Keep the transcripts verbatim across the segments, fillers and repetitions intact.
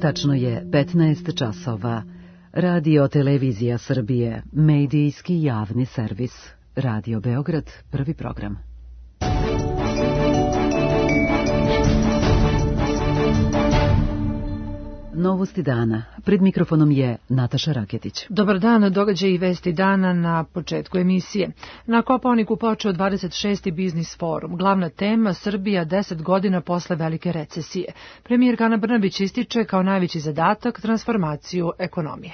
Tačno je petnaest časova. Radio Televizija Srbije, medijski javni servis. Radio Beograd, prvi program. Novosti dana. Pred mikrofonom je Nataša Raketić. Dobar dan, događaji i vesti dana na početku emisije. Na Kopaoniku počeo dvadeset šesti biznis forum. Glavna tema Srbija deset godina posle velike recesije. Premijerka Ana Brnabić ističe kao najveći zadatak transformaciju ekonomije.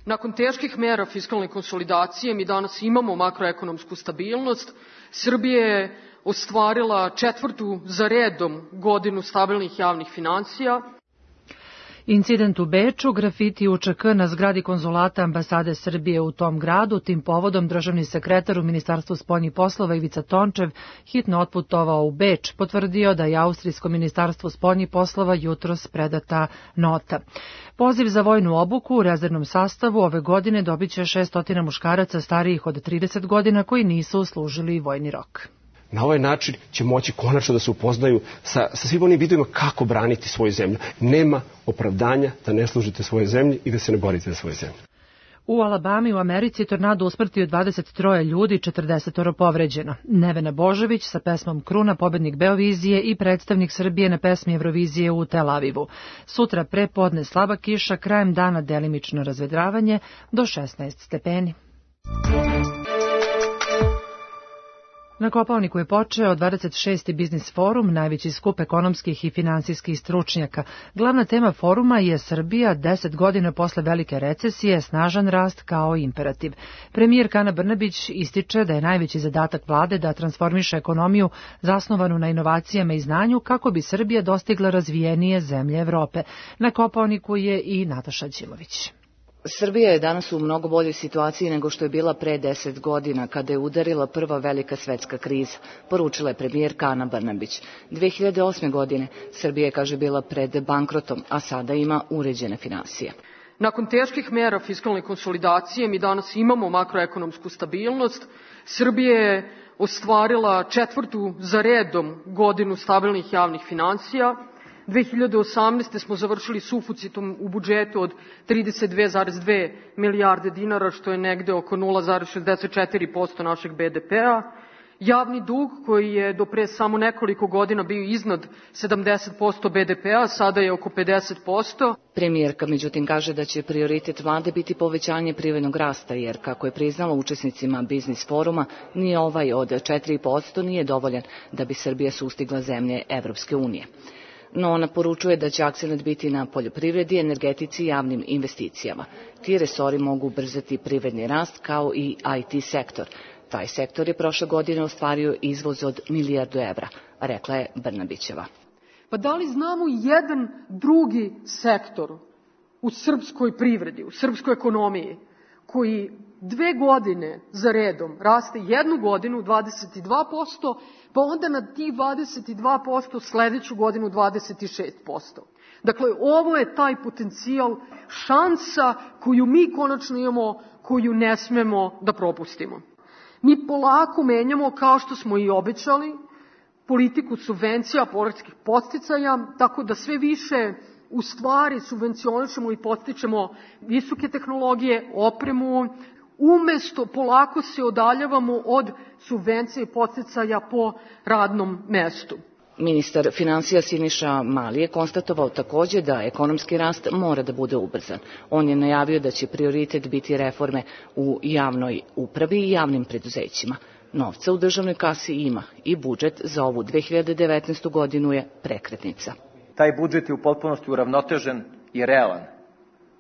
Nakon teških mera fiskalne konsolidacije mi danas imamo makroekonomsku stabilnost. Srbija je ostvarila četvrtu za redom godinu stabilnih javnih finansija. Incident u Beču, grafiti U Č K na zgradi konzulata ambasade Srbije u tom gradu. Tim povodom državni sekretar u Ministarstvu spoljnih poslova Ivica Tončev hitno otputovao u Beč, potvrdio da je Austrijsko ministarstvo spoljnih poslova jutros predata nota. Poziv za vojnu obuku u rezervnom sastavu ove godine dobit će šesnaest muškaraca starijih od trideset godina koji nisu služili vojni rok. Na ovaj način će moći konačno da se upoznaju sa, sa svim onim vidovima kako braniti svoju zemlju. Nema opravdanja da ne služite svoje zemlji i da se ne borite za svoju zemlju. U Alabami u Americi tornado usmrtio dvadeset troje ljudi, četrdeset povređeno. Nevena Božović sa pesmom Kruna, pobednik Beovizije i predstavnik Srbije na pesmi Evrovizije u Tel Avivu. Sutra pre podne slaba kiša, krajem dana delimično razvedravanje do šesnaest stepeni. Na Kopaoniku je počeo dvadeset šesti biznis forum, najveći skup ekonomskih i finansijskih stručnjaka. Glavna tema foruma je Srbija deset godina posle velike recesije, snažan rast kao imperativ. Premijerka Ana Brnabić ističe da je najveći zadatak vlade da transformiše ekonomiju zasnovanu na inovacijama i znanju kako bi Srbija dostigla razvijenije zemlje Evrope. Na Kopaoniku je i Nataša Ćimović. Srbija je danas u mnogo boljoj situaciji nego što je bila pre deset godina, kada je udarila prva velika svetska kriza, poručila je premijerka Ana Brnabić. dve hiljade osme. godine Srbija je, kaže, bila pred bankrotom, a sada ima uređene finansije. Nakon teških mera fiskalne konsolidacije mi danas imamo makroekonomsku stabilnost. Srbija je ostvarila četvrtu za redom godinu stabilnih javnih finansija. dve hiljade osamnaeste. smo završili suficitom u budžetu od trideset dve zarez dve milijarde dinara, što je negde oko nula zarez šezdeset četiri posto našeg be de pea. Javni dug, koji je do pre samo nekoliko godina bio iznad sedamdeset posto be de pea, sada je oko pedeset posto. Premijerka, međutim, kaže da će prioritet vlade biti povećanje privrednog rasta, jer, kako je priznala učesnicima biznis foruma, ni ovaj od četiri posto nije dovoljan da bi Srbija sustigla zemlje Evropske unije. No ona poručuje da će akcenat biti na poljoprivredi, energetici i javnim investicijama. Ti resori mogu ubrzati privredni rast kao i I T sektor. Taj sektor je prošle godine ostvario izvoz od milijardu evra, rekla je Brnabićeva. Pa da li znamo jedan drugi sektor u srpskoj privredi, u srpskoj ekonomiji, koji dve godine za redom raste jednu godinu dvadeset dva posto, pa onda na tih dvadeset dva posto sledeću godinu dvadeset šest posto. Dakle, ovo je taj potencijal, šansa koju mi konačno imamo, koju ne smemo da propustimo. Mi polako menjamo, kao što smo i obećali, politiku subvencija, poreskih podsticaja, tako da sve više u stvari subvencionišemo i podstičemo visoke tehnologije, opremu, umesto polako se odaljavamo od subvencija i podsticaja po radnom mestu. Ministar finansija Siniša Mali je konstatovao takođe da ekonomski rast mora da bude ubrzan. On je najavio da će prioritet biti reforme u javnoj upravi i javnim preduzećima. Novca u državnoj kasi ima i budžet za ovu dve hiljade devetnaestu. godinu je prekretnica. Taj budžet je u potpunosti uravnotežen i realan.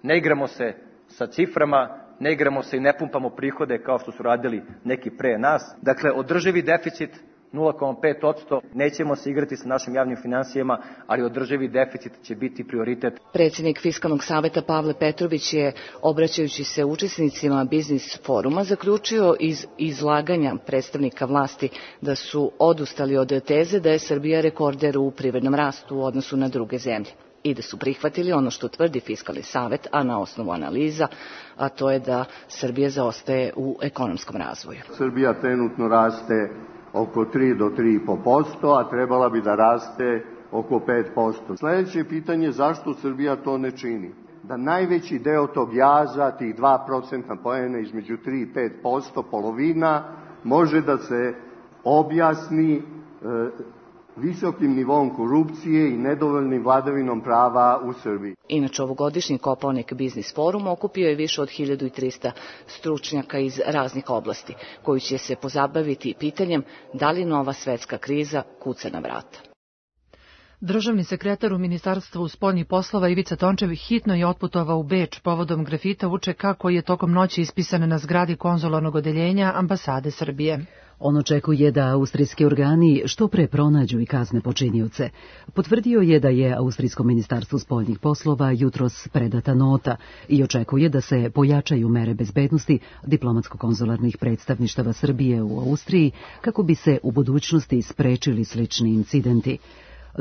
Ne igramo se sa ciframa, ne igramo se i ne pumpamo prihode kao što su radili neki pre nas. Dakle, održivi deficit nula zarez pet posto, nećemo se igrati sa našim javnim finansijama, ali održivi deficit će biti prioritet. Predsjednik Fiskalnog saveta Pavle Petrović je, obraćajući se učesnicima biznis foruma, zaključio iz izlaganja predstavnika vlasti da su odustali od teze da je Srbija rekorder u privrednom rastu u odnosu na druge zemlje i da su prihvatili ono što tvrdi Fiskalni savet, a na osnovu analiza, a to je da Srbija zaostaje u ekonomskom razvoju. Srbija trenutno raste oko tri do tri i po posto, a trebala bi da raste oko pet posto. Sljedeće pitanje je zašto Srbija to ne čini? Da najveći deo tog jaza, tih dva procentna poena između tri i pet posto, polovina, može da se objasni e, visokim nivom korupcije i nedovoljnim vladavinom prava u Srbiji. Inače, ovogodišnji Kopaonik biznis forum okupio je više od hiljadu trista stručnjaka iz raznih oblasti, koji će se pozabaviti pitanjem da li nova svetska kriza kuca na vrata. Državni sekretar u Ministarstvu spoljnih poslova Ivica Tončev hitno je otputovao u Beč povodom grafita U Č K koji je tokom noći ispisan na zgradi konzularnog odeljenja ambasade Srbije. On očekuje da austrijski organi što pre pronađu i kazne počinioce. Potvrdio je da je Austrijsko ministarstvo spoljnih poslova jutros predata nota i očekuje da se pojačaju mere bezbednosti diplomatsko-konzularnih predstavništava Srbije u Austriji kako bi se u budućnosti sprečili slični incidenti.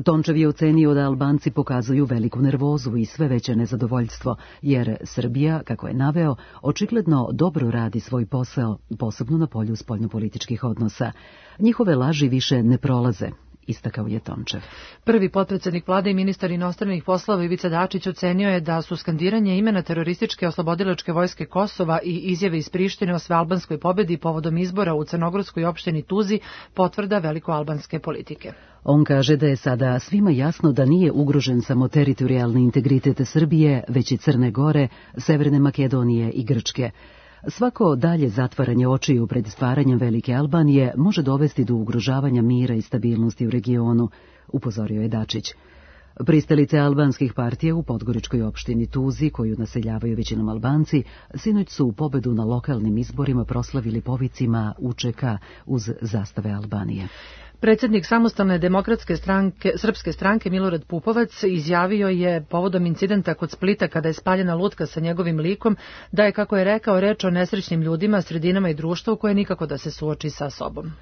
Tončev je ocenio da Albanci pokazuju veliku nervozu i sve veće nezadovoljstvo, jer Srbija, kako je naveo, očigledno dobro radi svoj posao, posebno na polju spoljnopolitičkih odnosa. Njihove laži više ne prolaze, istakao je Tončev. Prvi potpredsednik vlade i ministar inostranih poslova Ivica Dačić ocenio je da su skandiranje imena terorističke oslobodilačke vojske Kosova i izjave iz Prištine o svealbanskoj pobedi povodom izbora u crnogorskoj opštini Tuzi potvrda velikoalbanske politike. On kaže da je sada svima jasno da nije ugrožen samo teritorijalni integritet Srbije, već i Crne Gore, Severne Makedonije i Grčke. Svako dalje zatvaranje očiju pred stvaranjem Velike Albanije može dovesti do ugrožavanja mira i stabilnosti u regionu, upozorio je Dačić. Pristalice albanskih partija u podgoričkoj opštini Tuzi, koju naseljavaju većinom Albanci, sinoć su u pobedu na lokalnim izborima proslavili povicima U Č K uz zastave Albanije. Predsjednik Samostalne demokratske stranke, srpske stranke Milorad Pupovac izjavio je povodom incidenta kod Splita kada je spaljena lutka sa njegovim likom da je, kako je rekao, reč o nesrećnim ljudima, sredinama i društvu koje nikako da se suoči sa sobom.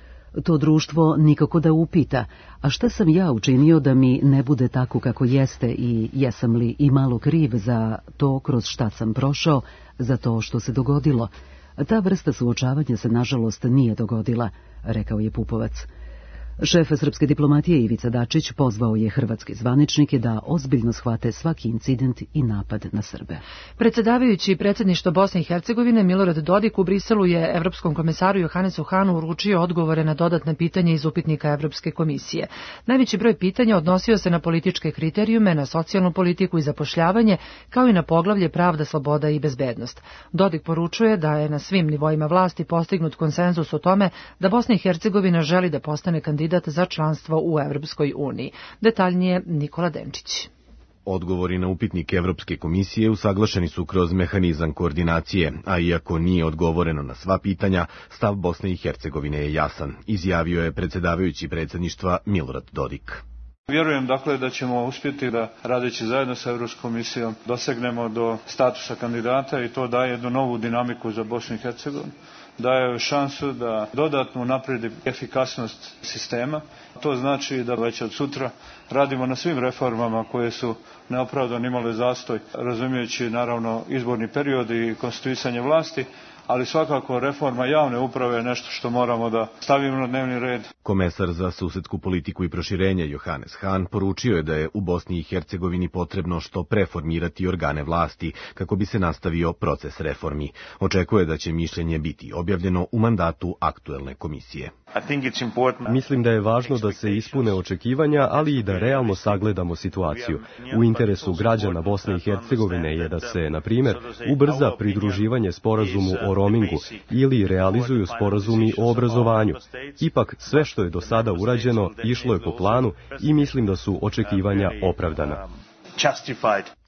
To društvo nikako da upita, a šta sam ja učinio da mi ne bude tako kako jeste i jesam li i malo kriv za to kroz šta sam prošao, za to što se dogodilo. Ta vrsta suočavanja se nažalost nije dogodila, rekao je Pupovac. Šef srpske diplomatije Ivica Dačić pozvao je hrvatske zvaničnike da ozbiljno shvate svaki incident i napad na Srbe. Predsjedavajući predsjedništvo Bosne i Hercegovine Milorad Dodik u Briselu je Evropskom komesaru Johannesu Hahnu uručio odgovore na dodatne pitanje iz upitnika Evropske komisije. Najveći broj pitanja odnosio se na političke kriterijume, na socijalnu politiku i zapošljavanje, kao i na poglavlje pravda, sloboda i bezbednost. Dodik poručuje da je na svim nivoima vlasti postignut konsenzus o tome da Bosna i Hercegovina želi da postane kandidat za članstvo u Evropskoj uniji. Detaljnije Nikola Denčić. Odgovori na upitnik Evropske komisije usaglašeni su kroz mehanizam koordinacije, a iako nije odgovoreno na sva pitanja, stav Bosne i Hercegovine je jasan, izjavio je predsjedavajući predsjedništva Milorad Dodik. Vjerujem dakle da ćemo uspjeti da radeći zajedno sa Evropskom komisijom dosegnemo do statusa kandidata i to daje jednu novu dinamiku za Bosnu i Hercegovinu. Daje šansu da dodatno unapredi efikasnost sistema. To znači da već od sutra radimo na svim reformama koje su neopravdano imale zastoj, razumijeći naravno izborni period i konstituisanje vlasti, ali svakako reforma javne uprave je nešto što moramo da stavimo na dnevni red. Komesar za susedsku politiku i proširenje Johannes Hahn poručio je da je u Bosni i Hercegovini potrebno što preformirati organe vlasti kako bi se nastavio proces reformi. Očekuje da će mišljenje biti objavljeno u mandatu aktuelne komisije. Mislim da je važno da se ispune očekivanja, ali i da realno sagledamo situaciju. U interesu građana Bosne i Hercegovine je da se, na primjer, ubrza pridruživanje sporazumu o roamingu ili realizuju sporazumi o obrazovanju. Ipak, sve što je do sada urađeno išlo je po planu i mislim da su očekivanja opravdana.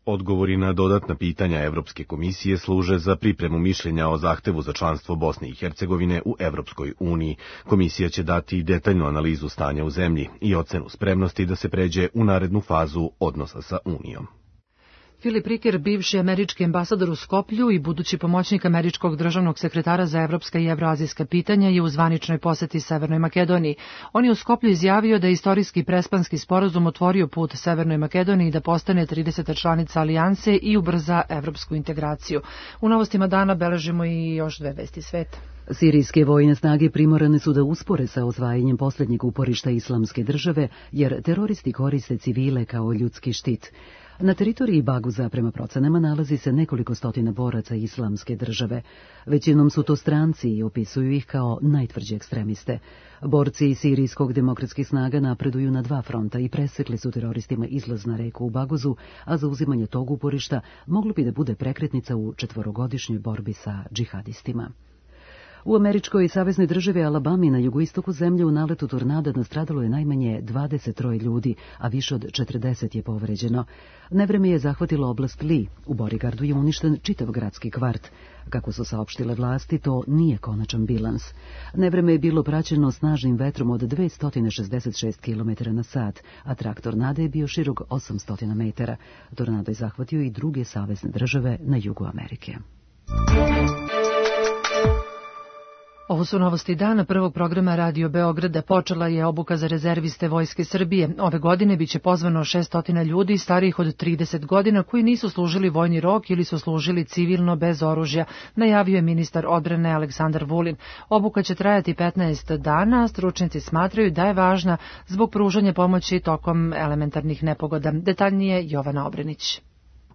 Odgovori na dodatna pitanja Evropske komisije služe za pripremu mišljenja o zahtevu za članstvo Bosne i Hercegovine u Evropskoj uniji. Komisija će dati detaljnu analizu stanja u zemlji i ocenu spremnosti da se pređe u narednu fazu odnosa sa Unijom. Filip Riker, bivši američki ambasador u Skoplju i budući pomoćnik američkog državnog sekretara za evropska i evroazijska pitanja, je u zvaničnoj poseti Severnoj Makedoniji. On je u Skoplju izjavio da je istorijski prespanski sporazum otvorio put Severnoj Makedoniji da postane trideseta članica alijanse i ubrza evropsku integraciju. U novostima dana beležimo i još dve vesti sveta. Sirijske vojne snage primorane su da uspore sa osvajanjem posljednjeg uporišta Islamske države, jer teroristi koriste civile kao ljudski štit. Na teritoriji Baguza, prema procenama, nalazi se nekoliko stotina boraca Islamske države. Većinom su to stranci i opisuju ih kao najtvrđe ekstremiste. Borci sirijskog demokratskih snaga napreduju na dva fronta i presekli su teroristima izlaz na reku u Baguzu, a zauzimanje tog uporišta moglo bi da bude prekretnica u četvorogodišnjoj borbi sa džihadistima. U američkoj saveznoj državi Alabami na jugoistoku zemlje u naletu tornada nastradalo je najmanje dvadeset troje ljudi, a više od četrdeset je povređeno. Nevreme je zahvatilo oblast Lee. U Borigardu je uništen čitav gradski kvart. Kako su saopštile vlasti, to nije konačan bilans. Nevreme je bilo praćeno snažnim vetrom od dvesta šezdeset šest kilometara na sat, a trak tornada je bio širok osamsto metara. Tornado je zahvatio i druge savezne države na jugu Amerike. Ovo su novosti dana prvog programa Radio Beograda. Počela je obuka za rezerviste Vojske Srbije. Ove godine biće pozvano šesto ljudi starijih od trideset godina koji nisu služili vojni rok ili su služili civilno bez oružja, najavio je ministar odbrane Aleksandar Vulin. Obuka će trajati petnaest dana, a stručnjaci smatraju da je važna zbog pružanja pomoći tokom elementarnih nepogoda. Detaljnije Jovana Obrenić.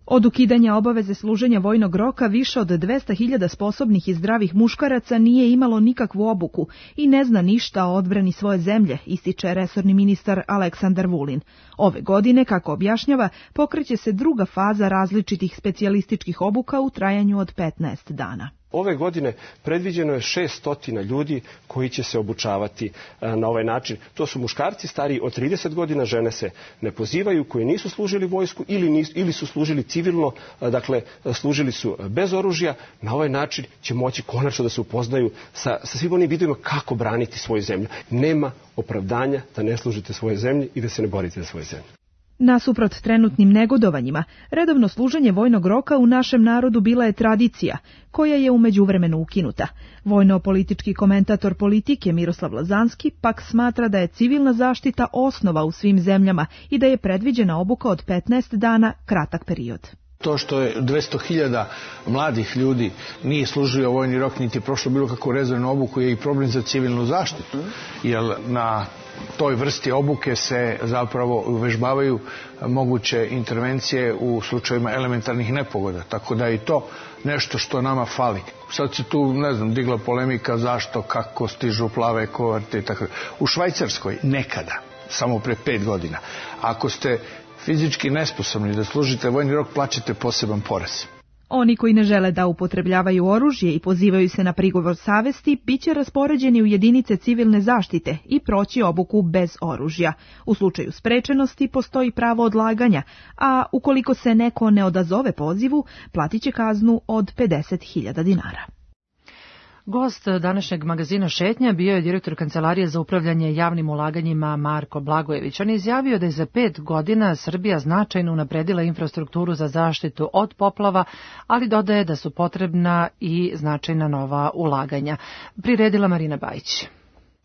Od ukidanja obaveze služenja vojnog roka više od dvesta hiljada sposobnih i zdravih muškaraca nije imalo nikakvu obuku i ne zna ništa o odbrani svoje zemlje, ističe resorni ministar Aleksandar Vulin. Ove godine, kako objašnjava, pokreće se druga faza različitih specijalističkih obuka u trajanju od petnaest dana. Ove godine predviđeno je šesto ljudi koji će se obučavati na ovaj način. To su muškarci stariji od trideset godina, žene se ne pozivaju, koji nisu služili vojsku ili, nisu, ili su služili civilno, dakle služili su bez oružja. Na ovaj način će moći konačno da se upoznaju sa, sa svim onim vidovima kako braniti svoju zemlju. Nema opravdanja da ne služite svoje zemlji i da se ne borite za svoju zemlju. Nasuprot trenutnim negodovanjima, redovno služenje vojnog roka u našem narodu bila je tradicija, koja je u međuvremenu ukinuta. Vojno-politički komentator politike Miroslav Lazanski pak smatra da je civilna zaštita osnova u svim zemljama i da je predviđena obuka od petnaest dana kratak period. To što je dvesta hiljada mladih ljudi nije služio vojni rok niti prošlo bilo kakvu rezervnu obuku je i problem za civilnu zaštitu, jer na toj vrsti obuke se zapravo uvežbavaju moguće intervencije u slučajevima elementarnih nepogoda, tako da je i to nešto što nama fali. Sad se tu, ne znam, digla polemika zašto, kako stižu plave koverte i tako. U Švajcarskoj nekada, samo pre pet godina, ako ste fizički nesposobni da služite vojni rok, plaćate poseban porez. Oni koji ne žele da upotrebljavaju oružje i pozivaju se na prigovor savesti, biće raspoređeni u jedinice civilne zaštite i proći obuku bez oružja. U slučaju sprečenosti postoji pravo odlaganja, a ukoliko se neko ne odazove pozivu, platit će kaznu od pedeset hiljada dinara. Gost današnjeg magazina Šetnja bio je direktor Kancelarije za upravljanje javnim ulaganjima Marko Blagojević. On je izjavio da je za pet godina Srbija značajno unapredila infrastrukturu za zaštitu od poplava, ali dodaje da su potrebna i značajna nova ulaganja. Priredila Marina Bajić.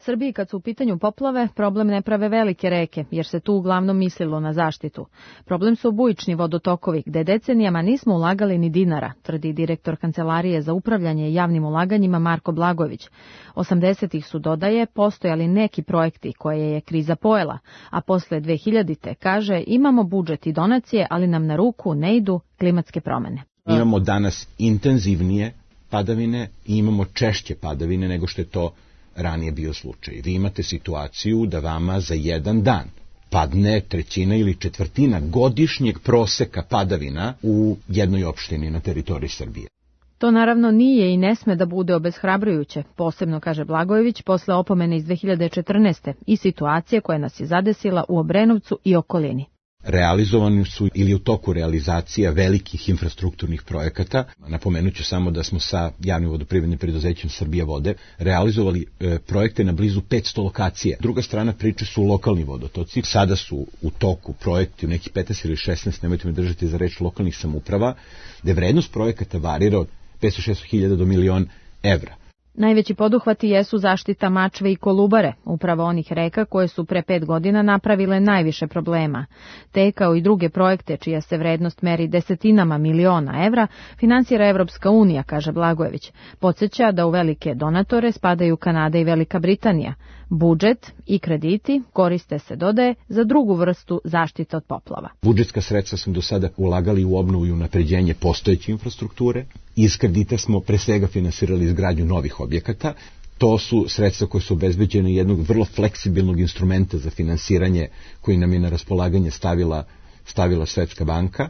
Srbiji kad su u pitanju poplave, problem ne prave velike reke, jer se tu uglavnom mislilo na zaštitu. Problem su bujični vodotokovi, gde decenijama nismo ulagali ni dinara, tvrdi direktor Kancelarije za upravljanje javnim ulaganjima Marko Blagojević. osamdesetih su, dodaje, postojali neki projekti koje je kriza pojela, a posle dve hiljadite, kaže, imamo budžet i donacije, ali nam na ruku ne idu klimatske promene. Imamo danas intenzivnije padavine i imamo češće padavine nego što je to ranije bio slučaj. Vi imate situaciju da vama za jedan dan padne trećina ili četvrtina godišnjeg proseka padavina u jednoj opštini na teritoriji Srbije. To naravno nije i ne sme da bude obeshrabrujuće, posebno, kaže Blagojević, posle opomene iz dve hiljade četrnaeste i situacije koja nas je zadesila u Obrenovcu i okolini. Realizovani su ili u toku realizacija velikih infrastrukturnih projekata. Napomenut ću samo da smo sa javnim vodoprivrednim preduzećem Srbija vode realizovali e, projekte na blizu petsto lokacija. Druga strana priče su lokalni vodotoci. Sada su u toku projekti u nekih petnaest ili šesnaest, nemojte me držati za reč, lokalnih samouprava, gde vrednost projekata varira od petsto do šesto hiljada do milion evra. Najveći poduhvati jesu zaštita Mačve i Kolubare, upravo onih reka koje su pre pet godina napravile najviše problema. Te, kao i druge projekte čija se vrednost meri desetinama miliona evra, finansira Evropska unija, kaže Blagojević. Podsjeća da u velike donatore spadaju Kanada i Velika Britanija. Budžet i krediti koriste se, dodaje, za drugu vrstu zaštite od poplava. Budžetska sredstva smo do sada ulagali u obnovu i unapređenje postojeće infrastrukture. Iz kredita smo pre svega finansirali izgradnju novih objekata. To su sredstva koje su obezbeđene jednog vrlo fleksibilnog instrumenta za finansiranje koji nam je na raspolaganje stavila, stavila Svetska banka.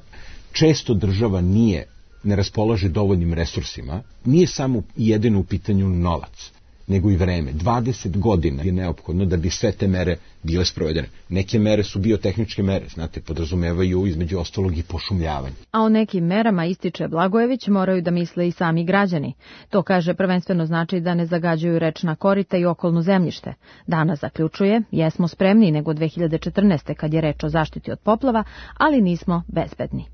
Često država nije, ne raspolaže dovoljnim resursima. Nije samo jedino u pitanju novac, nego i vreme. dvadeset godina je neophodno da bi sve te mere bile sprovedene. Neke mere su biotehničke mere, znate, podrazumevaju između ostalog i pošumljavanje. A o nekim merama, ističe Blagojević, moraju da misle i sami građani. To, kaže, prvenstveno znači da ne zagađuju rečna korita i okolno zemljište. Danas zaključuje, jesmo spremniji nego dve hiljade četrnaeste. kad je reč o zaštiti od poplava, ali nismo bezbedni.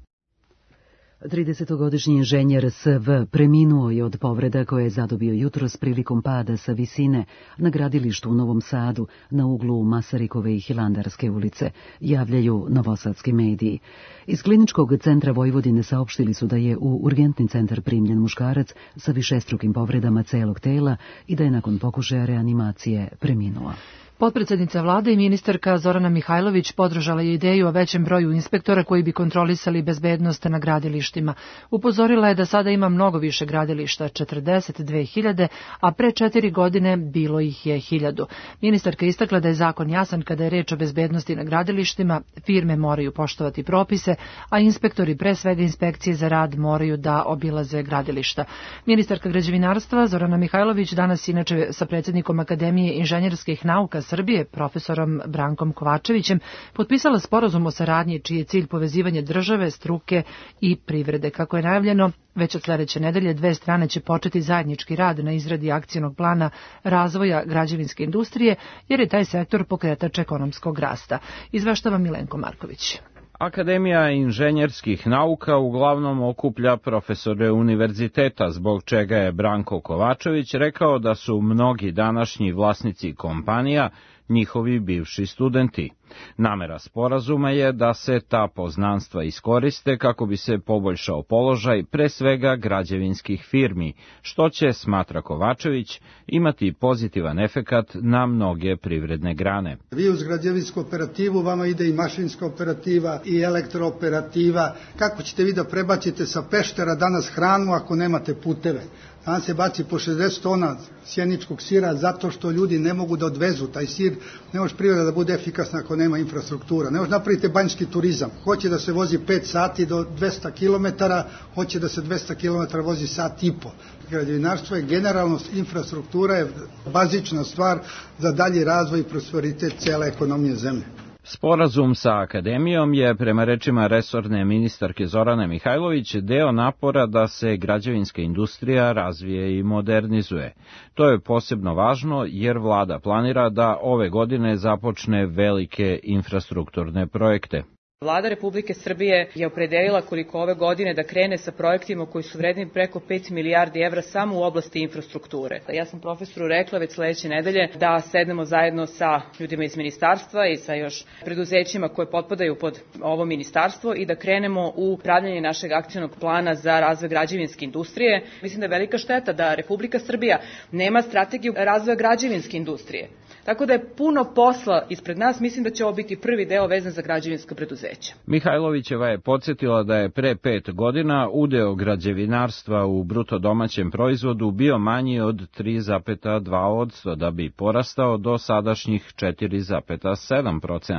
tridesetogodišnji inženjer S V preminuo je od povreda koje je zadobio jutros prilikom pada sa visine na gradilištu u Novom Sadu na uglu Masarikove i Hilandarske ulice, javljaju novosadski mediji. Iz Kliničkog centra Vojvodine saopštili su da je u urgentni centar primljen muškarac sa višestrukim povredama celog tela i da je nakon pokušaja reanimacije preminuo. Potpredsednica vlade i ministarka Zorana Mihajlović podržala je ideju o većem broju inspektora koji bi kontrolisali bezbednost na gradilištima. Upozorila je da sada ima mnogo više gradilišta, četrdeset dve hiljade, a pre četiri godine bilo ih je hiljadu. Ministarka istakla da je zakon jasan kada je reč o bezbednosti na gradilištima, firme moraju poštovati propise, a inspektori, pre svega inspekcije za rad, moraju da obilaze gradilišta. Ministarka građevinarstva Zorana Mihajlović danas inače sa predsjednikom Akademije inženjerskih nauka Srbije, profesorom Brankom Kovačevićem, potpisala sporazum o saradnji čiji je cilj povezivanje države, struke i privrede. Kako je najavljeno, već od sledeće nedelje dve strane će početi zajednički rad na izradi akcionog plana razvoja građevinske industrije, jer je taj sektor pokretač ekonomskog rasta. Izveštava Milenko Marković. Akademija inženjerskih nauka uglavnom okuplja profesore univerziteta, zbog čega je Branko Kovačević rekao da su mnogi današnji vlasnici kompanija njihovi bivši studenti. Namera sporazuma je da se ta poznanstva iskoriste kako bi se poboljšao položaj pre svega građevinskih firmi, što će, smatra Kovačević, imati pozitivan efekat na mnoge privredne grane. Vi uz građevinsku operativu, vama ide i mašinska operativa i elektrooperativa. Kako ćete vi da prebacite sa Peštera danas hranu ako nemate puteve? Danas se baci po šezdeset tona sjeničkog sira zato što ljudi ne mogu da odvezu taj sir. Ne može privreda da bude efikasna ako nema infrastruktura. Ne može napraviti banjski turizam. Hoće da se vozi pet sati do dvesta kilometara, hoće da se dvesta kilometara vozi sat i po. Građevinarstvo je generalno, infrastruktura je bazična stvar za dalji razvoj i prosperitet cele ekonomije zemlje. Sporazum sa Akademijom je, prema rečima resorne ministarke Zorane Mihajlović, deo napora da se građevinska industrija razvije i modernizuje. To je posebno važno jer vlada planira da ove godine započne velike infrastrukturne projekte. Vlada Republike Srbije je opredelila koliko ove godine da krene sa projektima koji su vredni preko pet milijardi evra samo u oblasti infrastrukture. Ja sam profesoru rekla već sledeće nedelje da sednemo zajedno sa ljudima iz ministarstva i sa još preduzećima koje potpadaju pod ovo ministarstvo i da krenemo u pravljanje našeg akcionog plana za razvoj građevinske industrije. Mislim da je velika šteta da Republika Srbija nema strategiju razvoja građevinske industrije. Tako da je puno posla ispred nas, mislim da će ovo biti prvi deo vezan za građevinska preduzeća. Mihajlovićeva je podsjetila da je pre pet godina udeo građevinarstva u bruto domaćem proizvodu bio manji od tri zarez dva posto, da bi porastao do sadašnjih četiri zarez sedam posto.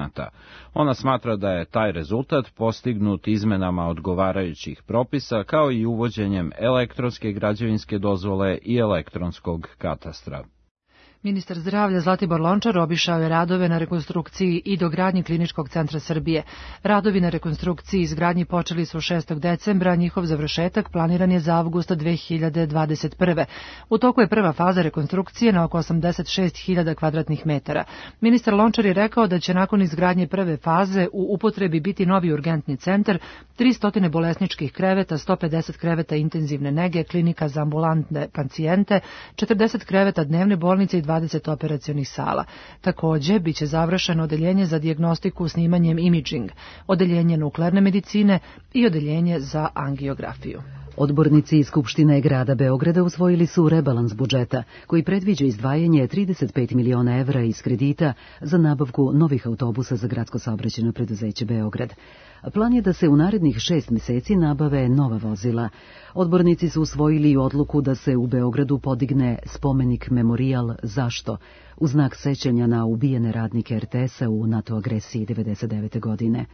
Ona smatra da je taj rezultat postignut izmenama odgovarajućih propisa kao i uvođenjem elektronske građevinske dozvole i elektronskog katastra. Ministar zdravlja Zlatibor Lončar obišao je radove na rekonstrukciji i dogradnji Kliničkog centra Srbije. Radovi na rekonstrukciji i izgradnji počeli su šestog decembra, njihov završetak planiran je za avgusta dve hiljade dvadeset prve. U toku je prva faza rekonstrukcije na oko osamdeset šest hiljada kvadratnih metara. Ministar Lončar je rekao da će nakon izgradnje prve faze u upotrebi biti novi urgentni centar, tristo bolesničkih kreveta, sto pedeset kreveta intenzivne nege, klinika za ambulantne pacijente, četrdeset kreveta dnevne bolnice i dvadeset operacionih sala. Takođe, biće završeno odeljenje za dijagnostiku snimanjem imidžing, odeljenje nuklearne medicine i odeljenje za angiografiju. Odbornici iz Skupštine grada Beograda usvojili su rebalans budžeta, koji predviđa izdvajanje trideset pet miliona evra iz kredita za nabavku novih autobusa za gradsko saobraćajno preduzeće Beograd. Plan je da se u narednih šest meseci nabave nova vozila. Odbornici su usvojili odluku da se u Beogradu podigne spomenik memorijal Zašto, u znak sećanja na ubijene radnike er te es-a u NATO agresiji devedeset devete. godine.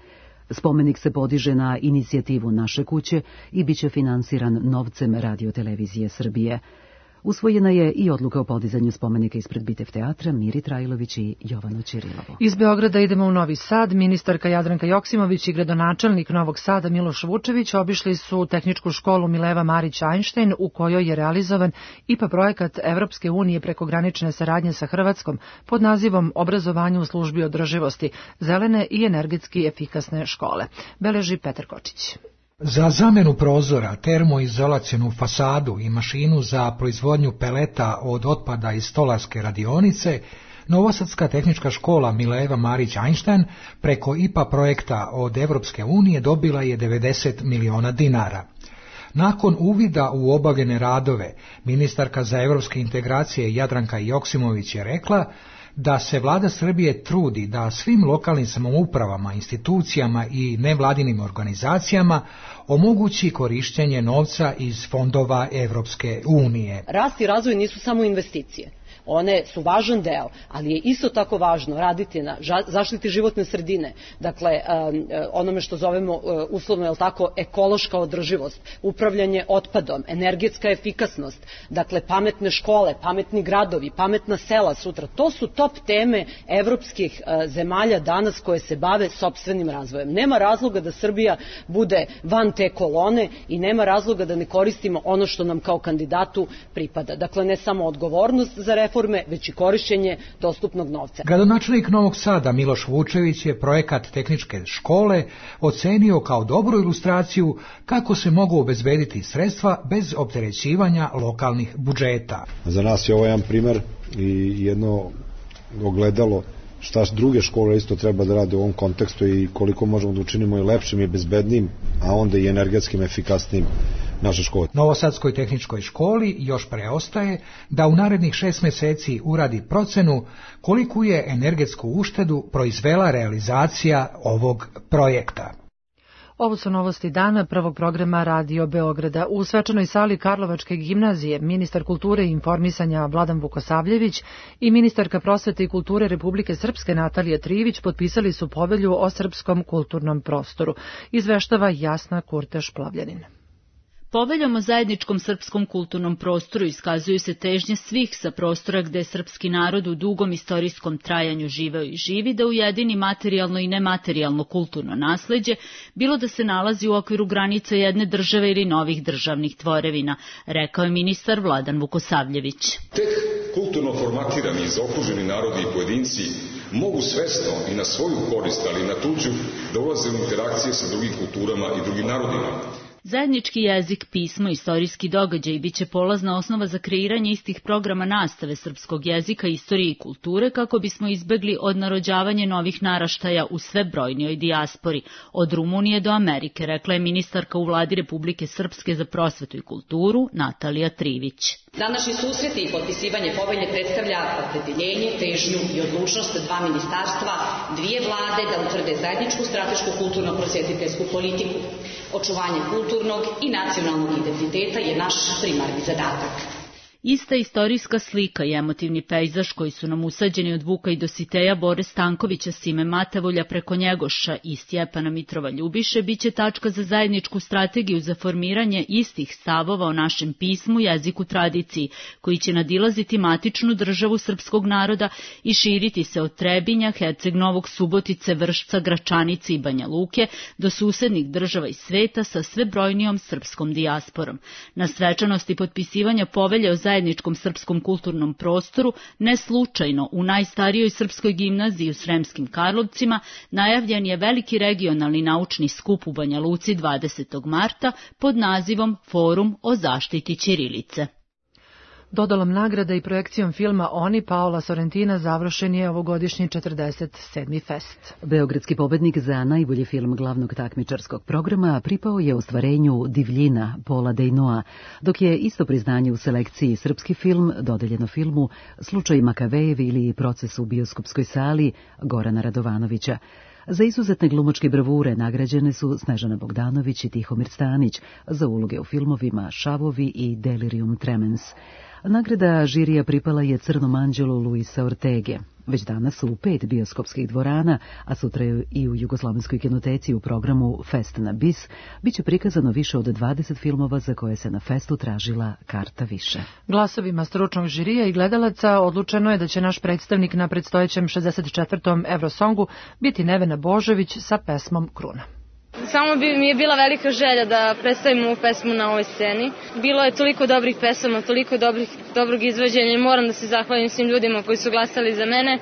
Spomenik se podiže na inicijativu Naše kuće i biće finansiran novcem Radio-televizije Srbije. Usvojena je i odluka o podizanju spomenika ispred Bitev teatra Miri Trajlović i Jovanu Ćirilovu. Iz Beograda idemo u Novi Sad. Ministarka Jadranka Joksimović i gradonačelnik Novog Sada Miloš Vučević obišli su tehničku školu Mileva Marić-Einstein u kojoj je realizovan I P A projekat Evropske unije prekogranične saradnje sa Hrvatskom pod nazivom Obrazovanje u službi održivosti, zelene i energetski efikasne škole. Beleži Petar Kočić. Za zamenu prozora, termoizolacionu fasadu i mašinu za proizvodnju peleta od otpada iz stolarske radionice, Novosadska tehnička škola Mileva Marić-Einstein preko I P A projekta od Evropske unije dobila je devedeset miliona dinara. Nakon uvida u obavljene radove, ministarka za evropske integracije Jadranka Joksimović je rekla da se vlada Srbije trudi da svim lokalnim samoupravama, institucijama i nevladinim organizacijama omogući korišćenje novca iz fondova Evropske unije. Rast i razvoj nisu samo investicije. One su važan deo, ali je isto tako važno raditi na zaštiti životne sredine, dakle onome što zovemo uslovno, jel tako, ekološka održivost, upravljanje otpadom, energetska efikasnost, dakle pametne škole, pametni gradovi, pametna sela sutra. To su top teme evropskih zemalja danas koje se bave sopstvenim razvojem. Nema razloga da Srbija bude van te kolone i nema razloga da ne koristimo ono što nam kao kandidatu pripada. Dakle, ne samo odgovornost za reformu, već i korišćenje dostupnog novca. Gradonačelnik Novog Sada Miloš Vučević je projekat tehničke škole ocenio kao dobru ilustraciju kako se mogu obezbediti sredstva bez opterećivanja lokalnih budžeta. Za nas je ovo jedan primer i jedno ogledalo šta druge škole isto treba da rade u ovom kontekstu i koliko možemo da učinimo i lepšim i bezbednim, a onda i energetskim efikasnim naše škole. Novosadskoj tehničkoj školi još preostaje da u narednih šest meseci uradi procenu koliku je energetsku uštedu proizvela realizacija ovog projekta. Ovo su novosti dana prvog programa Radio Beograda. U svečanoj sali Karlovačke gimnazije ministar kulture i informisanja Vladan Vukosavljević i ministarka prosvete i kulture Republike Srpske Natalija Trivić potpisali su povelju o srpskom kulturnom prostoru. Izveštava Jasna Kurteš-Plavljanin. Poveljom o zajedničkom srpskom kulturnom prostoru iskazuju se težnje svih sa prostora gde je srpski narod u dugom istorijskom trajanju živeo i živi da ujedini materijalno i nematerijalno kulturno nasleđe, bilo da se nalazi u okviru granica jedne države ili novih državnih tvorevina, rekao je ministar Vladan Vukosavljević. Tek kulturno formatirani i zaokruženi narodi i pojedinci mogu svesno i na svoju korist, ali i na tuđu, da ulaze u interakcije sa drugim kulturama i drugim narodima. Zajednički jezik, pismo, istorijski događaj biće polazna osnova za kreiranje istih programa nastave srpskog jezika, istorije i kulture kako bismo izbegli odnarođavanje novih naraštaja u sve brojnijoj dijaspori, od Rumunije do Amerike, rekla je ministarka u Vladi Republike Srpske za prosvetu i kulturu Natalija Trivić. Današnji susret i potpisivanje povelje predstavlja opredeljenje, težnju i odlučnost dva ministarstva, dvije vlade da utvrde zajedničku stratešku kulturno-prosvetiteljsku politiku. Očuvanje kulturnog i nacionalnog identiteta je naš primarni zadatak. Ista istorijska slika i emotivni pejzaž koji su nam usađeni od Vuka i Dositeja, Bore Stankovića, Sime Matavulja preko Njegoša i Stjepana Mitrova Ljubiše biće tačka za zajedničku strategiju za formiranje istih stavova o našem pismu, jeziku, tradiciji, koji će nadilaziti matičnu državu srpskog naroda i širiti se od Trebinja, Herceg Novog, Subotice, Vršca, Gračanice i Banja Luke do susednih država i sveta sa sve brojnijom srpskom dijasporom. Na svečanosti potpisivanja povelje o zajedničkom srpskom kulturnom prostoru, ne slučajno u najstarijoj srpskoj gimnaziji u Sremskim Karlovcima, najavljen je veliki regionalni naučni skup u Banja Luci dvadesetog marta pod nazivom Forum o zaštiti ćirilice. Dodalom nagrada i projekcijom filma Oni Paola Sorrentina završen je ovogodišnji četrdeset sedmi fest. Beogradski pobednik za najbolji film glavnog takmičarskog programa pripao je ostvarenju Divljina Paula Dejnoa, dok je isto priznanje u selekciji srpski film dodeljeno filmu Slučaj Makavejev ili Proces u bioskopskoj sali Gorana Radovanovića. Za izuzetne glumačke bravure nagrađene su Snežana Bogdanović i Tihomir Stanić za uloge u filmovima Šavovi i Delirium Tremens. Nagrada žirija pripala je Crnom anđelu Luisa Ortege. Već danas u pet bioskopskih dvorana, a sutra i u Jugoslovenskoj kinoteci u programu Fest na bis, biće prikazano više od dvadeset filmova za koje se na festu tražila karta više. Glasovima stručnog žirija i gledalaca odlučeno je da će naš predstavnik na predstojećem šezdeset četvrtom Eurosongu biti Nevena Božović sa pesmom Kruna. Samo bi mi je bila velika želja da predstavim ovu pesmu na ovoj sceni. Bilo je toliko dobrih pesama, toliko dobrih, dobrog izvođenja i moram da se zahvalim svim ljudima koji su glasali za mene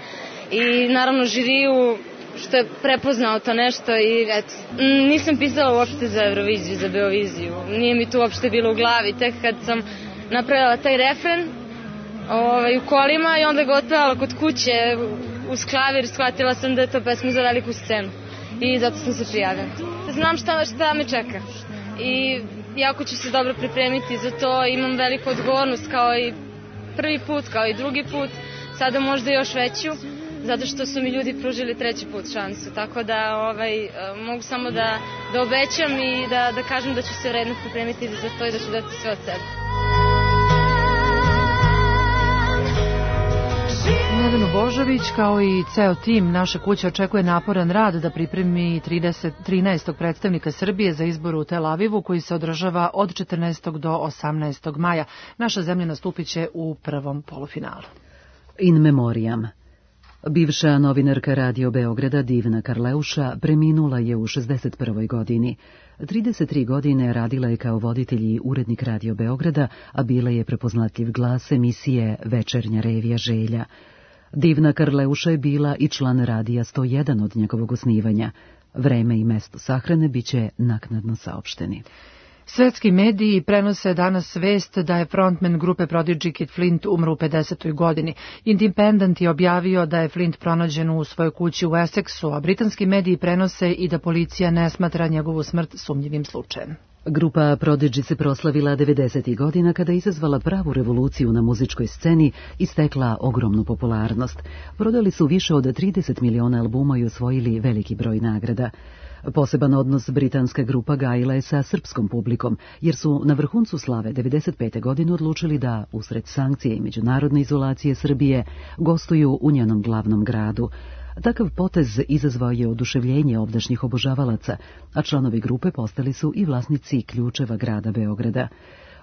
i naravno žiriju što je prepoznao to nešto i eto, nisam pisala uopšte za Euroviziju, za Beoviziju. Nije mi to uopšte bilo u glavi, tek kad sam napravila taj refren ovaj, u kolima i onda ga otpevala kod kuće uz klavir, shvatila sam da je to pesma za veliku scenu. I zato sam se prijavila. Znam šta, šta me čeka i jako ću se dobro pripremiti za to, imam veliku odgovornost kao i prvi put, kao i drugi put, sada možda još veću, zato što su mi ljudi pružili treći put šansu, tako da ovaj, mogu samo da, da obećam i da, da kažem da ću se vredno pripremiti za to i da ću dati sve od sebe. Nevenu Božović kao i ceo tim naše kuće očekuje naporan rad da pripremi trideset, trinaestog predstavnika Srbije za izbor u Tel Avivu koji se održava od četrnaestog do osamnaestog maja. Naša zemlja nastupit će u prvom polufinalu. In memoriam. Bivša novinarka Radio Beograda Divna Karleuša preminula je u šezdeset prvoj godini. trideset tri godine radila je kao voditelj i urednik Radio Beograda, a bila je prepoznatljiv glas emisije Večernja revija Želja. Divna Karleuša je bila i član Radija sto jedan od njegovog osnivanja. Vreme i mesto sahrane biće naknadno saopšteni. Svetski mediji prenose danas vest da je frontman grupe Prodigy Kid Flint umro u pedesetoj godini. Independent je objavio da je Flint pronađen u svojoj kući u Essexu, a britanski mediji prenose i da policija ne smatra njegovu smrt sumnjivim slučajem. Grupa Prodigy se proslavila devedesetih godina kada je izazvala pravu revoluciju na muzičkoj sceni i stekla ogromnu popularnost. Prodali su više od trideset miliona albuma i osvojili veliki broj nagrada. Poseban odnos britanska grupa gajila je sa srpskom publikom, jer su na vrhuncu slave devedeset pete godine odlučili da, usred sankcije i međunarodne izolacije Srbije, gostuju u njenom glavnom gradu. Takav potez izazvao je oduševljenje ovdašnjih obožavalaca, a članovi grupe postali su i vlasnici ključeva grada Beograda.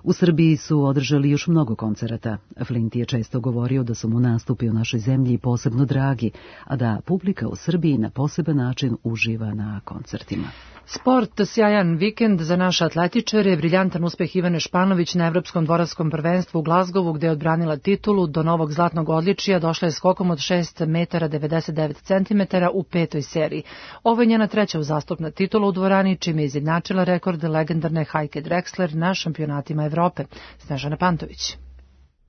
U Srbiji su održali još mnogo koncerata. Flint je često govorio da su mu nastupi u našoj zemlji posebno dragi, a da publika u Srbiji na poseban način uživa na koncertima. Sport, sjajan vikend za naše atletičare, briljantan uspeh Ivane Španović na Evropskom dvoračkom prvenstvu u Glazgovu gde je odbranila titulu, do novog zlatnog odličija došla je skokom od šest metara devedeset devet centimetara u petoj seriji. Ovo je njena treća uzastopna titula u dvorani, čime je izjednačila rekord legendarne Heike Drexler na šampionatima Evrope. Snežana Pantović.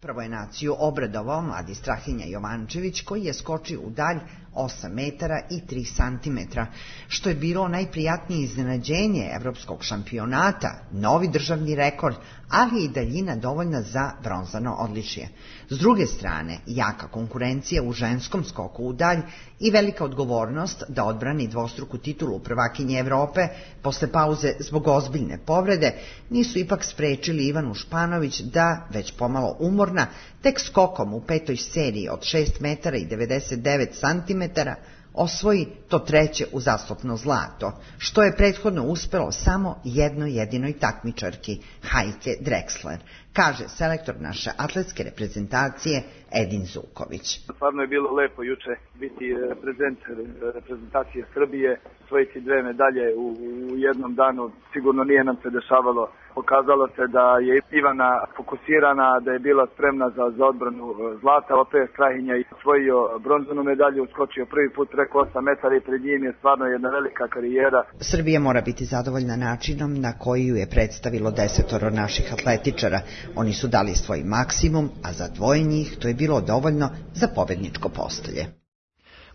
Prvo je naciju obradovao mladi Strahinja Jovančević koji je skočio u dalj osam metara i tri santimetra, što je bilo najprijatnije iznenađenje evropskog šampionata, novi državni rekord, ali i daljina dovoljna za bronzano odličje. S druge strane, jaka konkurencija u ženskom skoku u dalj i velika odgovornost da odbrani dvostruku titulu prvakinje Evrope posle pauze zbog ozbiljne povrede nisu ipak sprečili Ivanu Španović da, već pomalo umorno, nesporna, tek skokom u petoj seriji od šest metara i devedeset devet santimetara osvoji to treće uzastopno zlato, što je prethodno uspelo samo jednoj jedinoj takmičarki, Heike Drexler, kaže selektor naše atletske reprezentacije Edin Zuković. Stvarno je bilo lepo juče biti reprezent reprezentacije Srbije, osvojiti dve medalje u, u jednom danu, sigurno nije nam se dešavalo. Pokazalo se da je Ivana fokusirana, da je bila spremna za, za odbranu zlata, opet Strahinja je osvojio bronzanu medalju, uskočio prvi put preko osam metara i pred njim je stvarno jedna velika karijera. Srbija mora biti zadovoljna načinom na koji ju je predstavilo desetoro naših atletičara. Oni su dali svoj maksimum, a za dvoje njih to je bilo dovoljno za pobedničko postolje.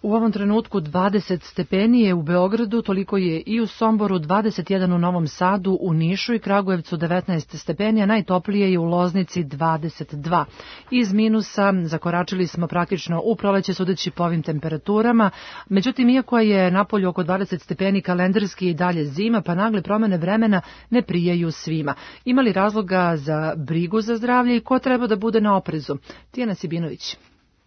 U ovom trenutku dvadeset stepeni je u Beogradu, toliko je i u Somboru, dvadeset jedan u Novom Sadu, u Nišu i Kragujevcu devetnaest stepeni, a najtoplije je u Loznici dvadeset dva. Iz minusa zakoračili smo praktično u proleće sudeći po ovim temperaturama, međutim, iako je napolju oko dvadeset stepeni kalendarski i dalje zima, pa nagle promene vremena ne prijaju svima. Ima li razloga za brigu za zdravlje i ko treba da bude na oprezu? Tijana Sibinović.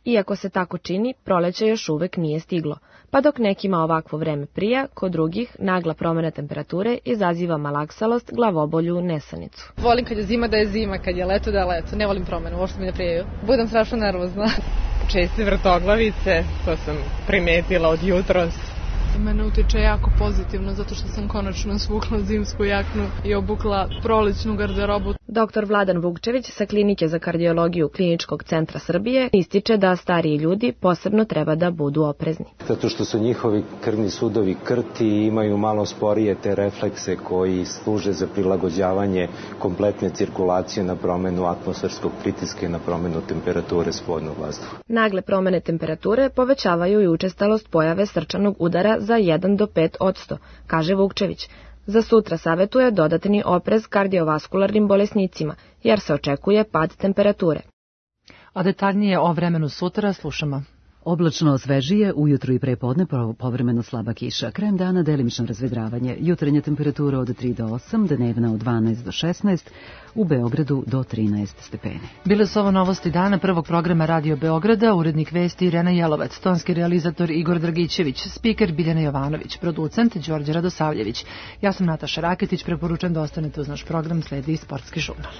Iako se tako čini, proleće još uvek nije stiglo, pa dok nekima ovakvo vreme prija, kod drugih nagla promjena temperature izaziva malaksalost, glavobolju, nesanicu. Volim kad je zima da je zima, kad je leto da je leto, ne volim promjenu, uopšte mi ne prijaju. Budem strašno nervozna. Česte vrtoglavice, to sam primetila od jutros. Mene utiče jako pozitivno, zato što sam konačno svukla zimsku jaknu i obukla prolećnu garderobu. Doktor Vladan Vukčević sa Klinike za kardiologiju Kliničkog centra Srbije ističe da stariji ljudi posebno treba da budu oprezni. Zato što su njihovi krvni sudovi krti i imaju malo sporije te reflekse koji služe za prilagođavanje kompletne cirkulacije na promenu atmosferskog pritiska i na promenu temperature spodnog vazduha. Nagle promene temperature povećavaju i učestalost pojave srčanog udara za jedan do pet odsto, kaže Vukčević. Za sutra savetuje dodatni oprez kardiovaskularnim bolesnicima, jer se očekuje pad temperature. A detaljnije o vremenu sutra slušamo. Oblačno svežije, ujutru i prepodne povremeno slaba kiša. Krajem dana delimično razvedravanje. Jutarnja temperatura od tri do osam, dnevna od dvanaest do šesnaest, u Beogradu do trinaest stepeni. Bile su ovo novosti dana prvog programa Radio Beograda, urednik vesti Irena Jelovac, tonski realizator Igor Dragićević, spiker Biljana Jovanović, producent Đorđe Radosavljević. Ja sam Nataša Raketić, preporučujem da ostanete uz naš program, sledi Sportski žurnal.